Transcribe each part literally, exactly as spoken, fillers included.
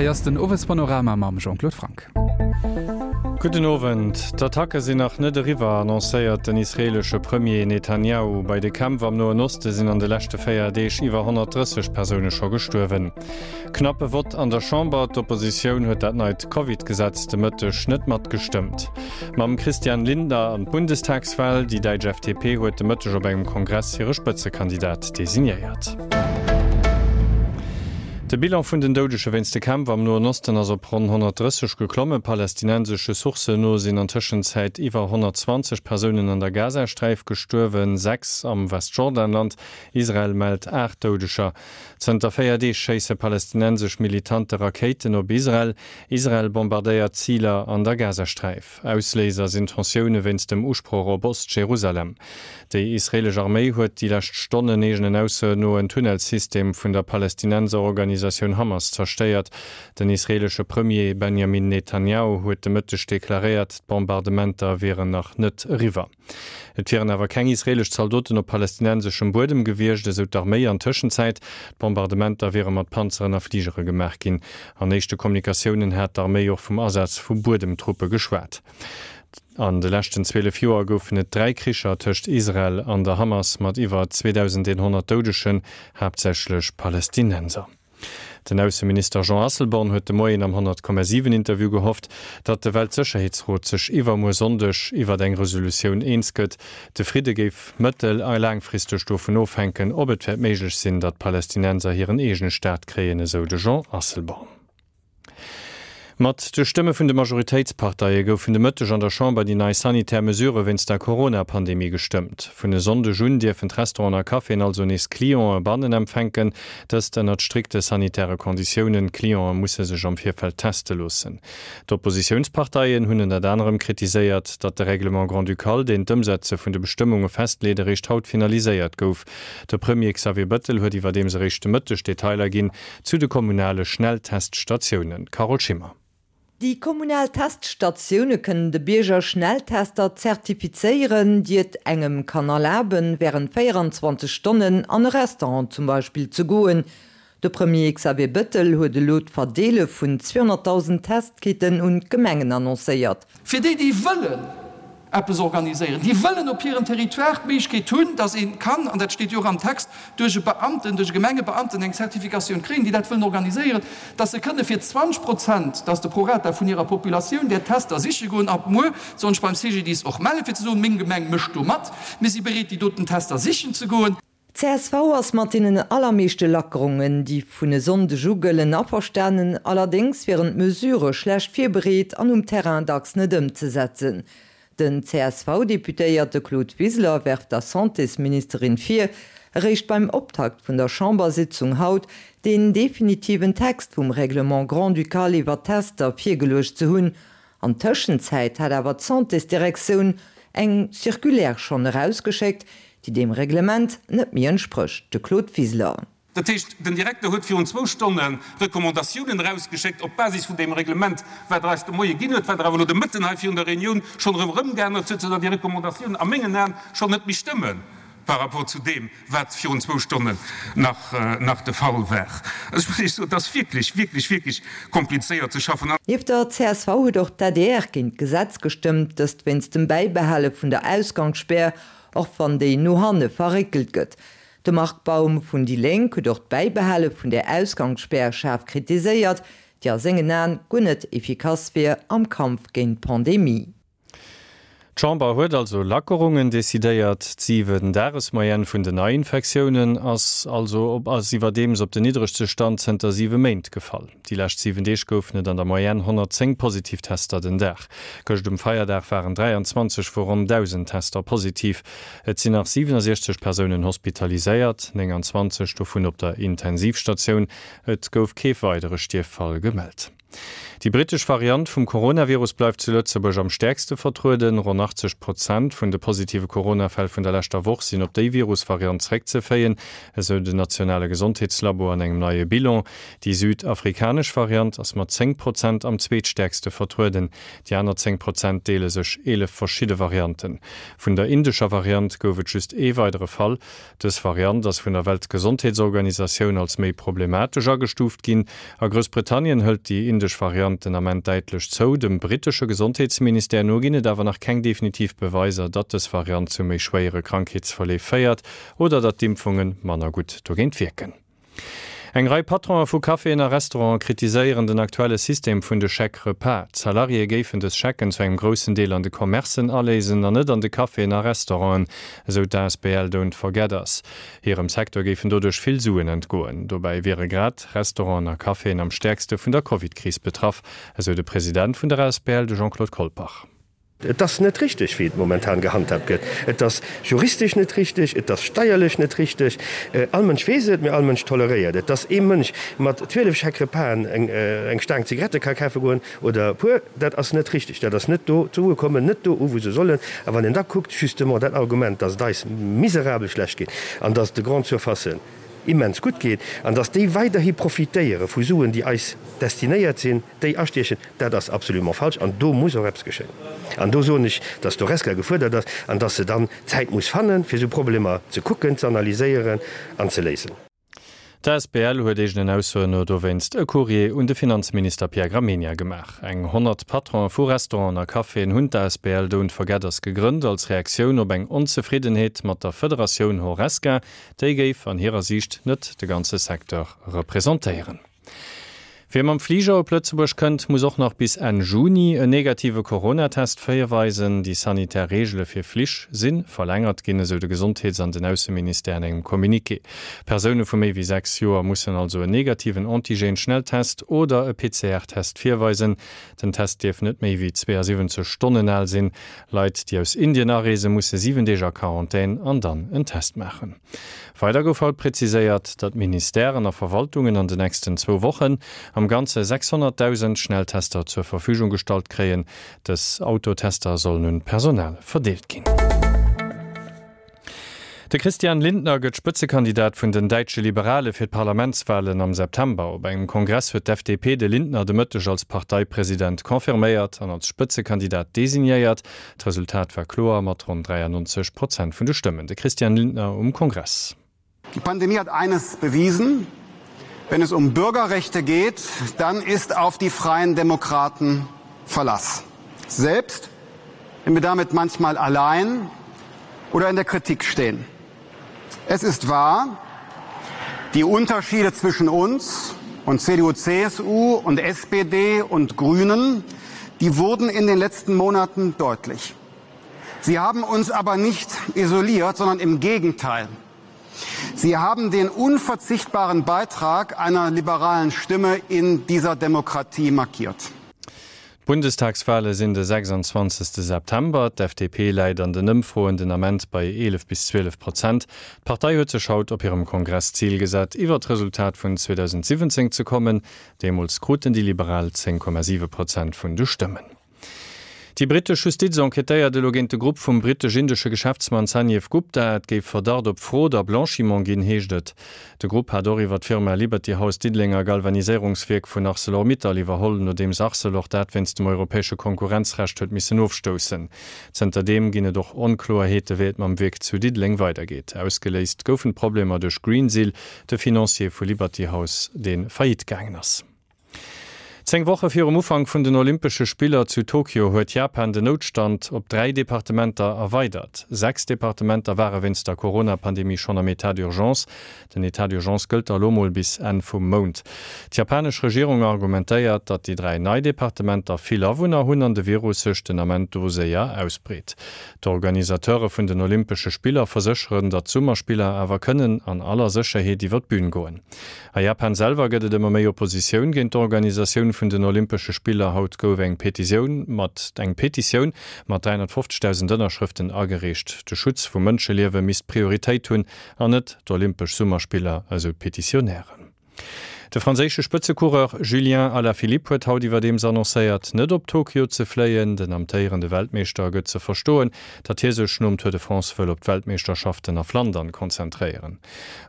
Hei ass den Owespanorama mam Jean-Claude Franck. Gudden Owend. D'Attacke sinn nach net eriwwer, annoncéiert den israeelesche Premier Netanjahu. Bei de Kämpf am Noen Oste sinn an de leschte véier Deeg iwwer honnertdrësseg Persoune scho gestuerwen. Knappe Vott an der Chamber, D'Oppositioun huet dat neit Covid-Gesetz de Mëtteg net matgestëmmt. Mam Christian Lindner an d'Bundestagswal, Déi däitsch F D P huet de Mëtteg op engem Kongress hire Spëtzekandidat designéiert. De Bilan vun den Doudege wéinst de Kämpf am Noen Osten ass op ronn honnertdrësseg geklommen. Palästinensesche Sourcen no sinn an Tëschenzäit iwwer honnertzwanzeg Persounen an der Gazasträif gestuerwen, sechs am Westjordanland. Israel mellt aacht Doudeger. Zënter véier Deeg schéisse palästinensesch Militante Rakéiten op Israel. Israel bombardéiert Ziler an der Gazasträif. Ausléiser sinn Tensioune wéinst dem Usproch op Ost-Jerusalem. Déi israeelesch Arméi huet déi lescht Stonnen eegenen Aussoen no en Tunnelsystem vun der Palästinenserorganisatioun Hamas zerstéiert. Den israeelesche Premier Benjamin Netanjahu huet de Mëtteg deklaréiert, d'Bombardementer wieren nach net eriwwer. Et wieren awer keng israeelesch Zaldoten op palästinenseschem Buedem gewiescht, esou d'Arméi an Tëschenzäit. D'Bombardementer wiere mat Panzeren a Fligere gemaach ginn. An éischte Kommunikatiounen hat d'Arméi och vum Asaz vu Buedemtruppe geschwat. An de leschten zwielef Joer goufen et dräi Kricher tëscht Israel an der Hamas mat iwwer zweedausendeenhonnert Doudegen, haaptsächlech Palästinenser. Den Ausseminister Jean Asselborn huet de Moien am honnert Komma siwen Interview gehofft, datt de Weltsécherheetsrot sech iwwermuer Sonndeg iwwert eng Resolutioun eens gëtt. De Fridde géif mëttel a laangfristeg dovun ofhänken, ob et wäert méiglech sinn, datt d'Palästinenser hiren eegene Staat kréien, esou de Jean Asselborn. Mat de Stëmme vun de Majoritéitsparteie goufen de Mëtteg an der Chamber déi nei sanitär Mesurë wéinst der Corona-Pandemie gestëmmt. Vun e Sonndeg un dierfen d'Restauranten a Caféen also nees Clientë bannen empfänken, dëst ënnert strikte sanitäre Konditiounen. D'Clientë musse sech am Virfeld teste loossen. D'Oppositiounsparteien hunn ënnert anerem kritiséiert, datt de Règlement grand-ducal, deen d'Ëmsetze vun de Bestëmmunge festleet, eréischt haut finaliséiert gouf. De Premier Xavier Bettel huet iwwerdeems eréischt de Mëtteg Detailer ginn zu de kommunale Schnellteststatiounen. Carole Schimmer. Déi kommunal Teststatioune kënnen de Bierger Schnelltester zertifizéieren, déi et engem kann erlaben, wärend véierenzwanzeg Stonnen an e Restaurant zum Beispill ze goen. De Premier Xavier Bettel huet elo d'Verdeele vun zweehonnertdausend Testkitten un d'Gemengen annoncéiert. Fir déi, déi wëllen eppes organiséieren, déi wëllen op hirem Territoire d'Méiglechkeet hunn, dass ee kann, an dat steet jo och am Text, duerch e Beamten, duerch e Gemengebeamten eng Zertifikatioun kréien, déi dat wëllen organiséieren, dass se kënne fir zwanzeg Prozent, dat ass de Prorata vun hirer Populatioun, där Tester siche goen. Ab muer soll ech beim C G D I S och mellen, fir ze soen, meng Gemeng mécht do mat, mir si bereet, déi doten Tester sichen ze goen. D C S V ass mat deenen allermeeschte Lackerungen, déi vun e Sonndeg u gëllen, averstanen, allerdéngs wieren d'Mesurë schlecht virbereet an um Terrain dacks net ëmzesetzen. Den C S V-Deputéierte Claude Wiseler werft der Santésministerin vir, eréischt beim Optakt vun der Chambersitzung haut den definitiven Text vum Règlement grand-ducal iwwer d'Tester virgeluecht ze hunn. An Tëschenzäit hat awer d'Santésdirektioun eng Circulaire schonn erausgeschéckt, déi deem Reglement net méi entsprécht. De Claude Wiseler. Dat heescht, den Direkter huet virun zwou Stonne Recommandatiounen erausgeschéckt op Basis vun deem Reglement, wat Der eis de Moie ginn huet, wat Der awer elo de Mëtten hei virun der Reunioun schonn erëm erëmgeännert huet, soudatt déi Recommandatiounen a mengen Aen schonn net méi stëmme par rapport zu deem, wat virun zwou Stonnen nach, nach de Fall war. Also ech muss Iech soen, et ass wierklech, wierklech, wierklech komplizéiert ze schaffen. Nieft der C S V huet och d'A D R géint d'Gesetz gestëmmt, dëst wéinst dem Bäibehale vun der Ausgangsspär, och wann déi no hanne verréckelt gëtt. De Marc Baum vun déi Lénk huet och d'Bäibehale vun der Ausgangsspär schaarf kritiséiert, déi a sengen Aen guer net efficace wier am Kampf géint d'Pandemie. D'Chamber huet also Lackerungen decidéiert. D'Siwen-Dages-Moyenne vun den Neiinfektiounen ass also op ass iwwerdeems op den niddregste Stand zënter siwe Méint gefall. Déi lescht siwen Deeg goufen et an der Moyenne honnertzéng positiv Tester den Dag. Gëscht um Feierdag waren dräianzwanzeg vu ronn dausend Tester positiv. Et sinn nach siwenunsiechzeg Persounen hospitaliséiert, nénganzwanzeg dovun op der Intensivstatioun. Et gouf kee weidere Stierffall gemellt. Déi brittesch Variant vum Coronavirus bleift zu Lëtzebuerg am stäerkste vertrueden. Ronn achtzeg Prozent vun de positive Coronafäll vun der leschter Woch sinn op déi Virusvariant zeréckzeféien, esou den nationale Gesondheetslabo an engem neie Bilan. Déi südafrikanesch Variant ass mat zéng Prozent am zweetstäerkste vertrueden. Déi aner zéng Prozent deele sech eelef verschidde Varianten. Vun der indescher Variant gouf et just ee weidere Fall. Dës Variant ass vun der Weltgesondheetsorganisatioun als méi problematesch agestuuft ginn. A Groussbritannien hëlt déi indesch Variant den Ament däitlech zou. Dem brittesche Gesondheetsministère no ginn et awer nach keng definitiv Beweiser, datt dës Variant zu méi schwéiere Krankheetsverleef féiert oder datt d'Impfunge manner gutt dogéint wierken. Eng Rei Patronen vu Caféen a Restauranten kritiséieren den aktuelle System vun de Chèques-repas. D'Salariéë géifen dës Schecken zu engem groussen Deel an de Commercen aléisen an net an de Caféen a Restauranten, esou d'Asbl Don't Forget Us. Hirem Secteur géifen doduerch vill Suen entgoen. Dobäi wiere grad Restauranten a Caféen am stäerkste vun der Covid-Kris betraff, esou de President vun der Asbl, de Jean-Claude Colpach. Et ass net richteg, wéi et momentan gehandhaabt gëtt. Et ass juristesch net richteg, et ass steierlech net richteg. All Mënsch weess et, mee all Mënsch toleréiert et. Dass ee Mënsch mat zwielef Chèque-repasen eng Staang Zigarette ka kafe goen oder e puer, dat ass net richteg. Dat ass net do, d'Sue kommen net do u wou se sollen. A wann een da kuckt, justement dat Argument, dass et eis miserabel schlecht geet an dass et de Grandes surfacen immens gutt geet an dass déi weiderhi profitéiere vu Suen, déi eis destinéiert sinn, déi astiechen, dat ass absolument falsch an do muss och eppes geschéien. An do soen ech, dass d'Horesca gefuerdert ass an dass se dann Zäit muss fannen, fir esou Problemer ze kucken, ze analyséieren an ze léisen. D'Asbl huet eegenen Aussoen no dowéinst e Courrier un de Finanzminister Pierre Gramegna gemaach. Eng honnert Patronen vu Restauranten a Caféen hunn d'Asbl Don't Forget Us gegrënnt, als Reaktioun op eng Onzefriddenheet mat der Federatioun Horesca. Déi géif an hirer Siicht net de ganze Secteur representéieren. Wie mam Fliger op Lëtzebuerg kënnt, muss och nach bis Enn Juni en negative Coronatest virweisen. Déi sanitär Reegele fir Flich si verlängert ginn, esou de Gesondheets an den Ausseministère an engem Communiqué. Persoune vu méi wéi sechs Joer mussen also en negativen Antigen-Schnelltest oder e P C R Test virweisen. Den Test dierf net méi wéi zweeësiwwenzeg Stonnen al sinn. Leit, déi aus Indien areese musse siwen Deeg a Quarantän an dann en Test maachen. Weider gouf haut präziséiert, datt Ministèren a Verwaltungen an den nächsten zwou Wochen am Ganze sechshonnertdausend Schnelltester zur Verfügung gestallt kréien. Dës Autotester sollen un d'Personal verdeelt ginn. De Christian Lindner gëtt Spëtzekandidat vun den däitsche Liberale fir d'Parlamentswalen am September. Op engem Kongress huet d'F D P de Lindner de Mëtteg als Parteipresident confirméiert an als Spëtzekandidat designéiert. D'Resultat war kloer mat ronn dräiannonzeg Prozent vun de Stëmmen. De Christian Lindner um Kongress. Die Pandemie hat eines bewiesen: Wenn es um Bürgerrechte geht, dann ist auf die Freien Demokraten Verlass. Selbst wenn wir damit manchmal allein oder in der Kritik stehen. Es ist wahr, die Unterschiede zwischen uns und C D U, C S U und S P D und Grünen, die wurden in den letzten Monaten deutlich. Sie haben uns aber nicht isoliert, sondern im Gegenteil. Sie haben den unverzichtbaren Beitrag einer liberalen Stimme in dieser Demokratie markiert. D'Bundestagswale sinn de sechsundzwanzegste September. D'F D P läit an den Ëmfroen den Ament bei eelef bis zwielef Prozent. D'Partei huet sech haut op hirem Kongress d'Zil gesat, iwwer d'Resultat vun zweedausendsiwwenzéng ze kommen. Deemools kruten déi Liberal zéng Komma siwe Prozent vun de Stëmmen. Déi brittesch Justiz enquêtéiert elo géint de Grupp vum brittesch-indesche Geschäftsmann Sanjeev Gupta. Et géif Verdacht op Frod a Blanchiment ginn, heescht et. De Grupp hat och iwwer d'Firma Liberty House d'Diddelenger Galvaniséierungswierk vun Arcelor-Mittal iwwerholl, nodeems Arcelor dat wéinst dem europäesche Konkurrenzrecht huet missen ofstoussen. Zënterdeem ginn et och Onkloerheete wéi et mam Wierk zu Diddeleng weidergeet. Ausgeléist goufen d'Problemer duerch Greensill, de Financier vu Liberty House, dee Faillite gaangen ass. Zéng Woche virum Ufank vun den Olympesche Spiller zu Tokio huet Japan den Noutstand op dräi Departementer erweidert. Sechs Departementer ware wéinst der Corona-Pandemie schonn am État d'urgence. Den État d'urgence gëllt elo mol bis Enn vum Mount. D'japanesch Regierung argumentéiert, datt déi dräi nei Departementer vill Awunner hunn an de Virus sech den Ament do séier ausbreet. D'Organisateure vun den Olympesche Spiller versécheren, datt d'Summerspiller awer kënnen an aller Sécherheet iwwer d'Bün goen. A Japan selwer gëtt et ëmmer méi Oppositioun géint d'Organisatioun vun den Olympesche Spiller. Haut gouf eng Petitioun mat eng Petitioun mat dräihonnertfofzegdausend Ënnerschrëften agereecht. De Schutz vu Mënscheliewe misst Prioritéit hunn an net d'Olympesch Summerspiller, esou d'Petitionären. De franséische Spëtzecoureur Julien Alaphilippe huet haut iwwerdeems annoncéiert, net op Tokio ze fléien. Den amtéierende Weltmeeschter gëtt ze verstoen, datt hie sech nom Tour de France wëll op d'Weltmeeschterschaften a Flandern konzentréieren.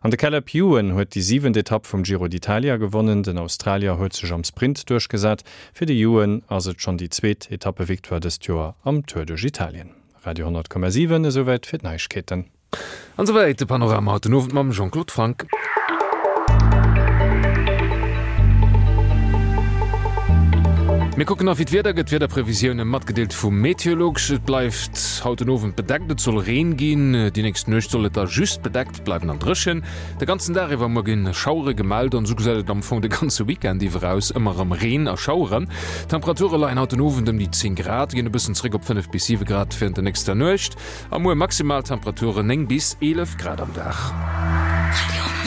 An de Caleb Ewan huet déi siwent Etapp vum Giro d'Italia gewonnen. Den Australier huet sech am Sprint duerchgesat. Fir de Ewan ass et schonn déi zweet Etappevictoire dëst Joer am Tour duerch Italien. Radio honnert Komma siwen, Esouwäit fir d'Neiegkeeten. An esouwäit de Panorama haut den Owend mam Jean-Claude Franck. Mir kucken nach wéi d'Wieder gëtt. D'Wiederprevisioune matgedeelt vu Meteolux. Et bleift haut den Owend bedeckt, et soll Reen ginn. Déi nächst Nuecht soll et da just bedeckt bleiwen an dréchen. De ganzen Dag iwwer muer ginn Schauere gemellt an esou gesäit et am Fong de ganze Weekend iwwer aus, ëmmer erëm Reen a Schaueren. D'Temperature leien haut den Owend ëm déi zéng Grad, ginn e bëssen zeréck op fënnef bis siwe Grad wärend der nächster Nuecht. A muer maximal Temperaturen néng bis eelef Grad am Dag.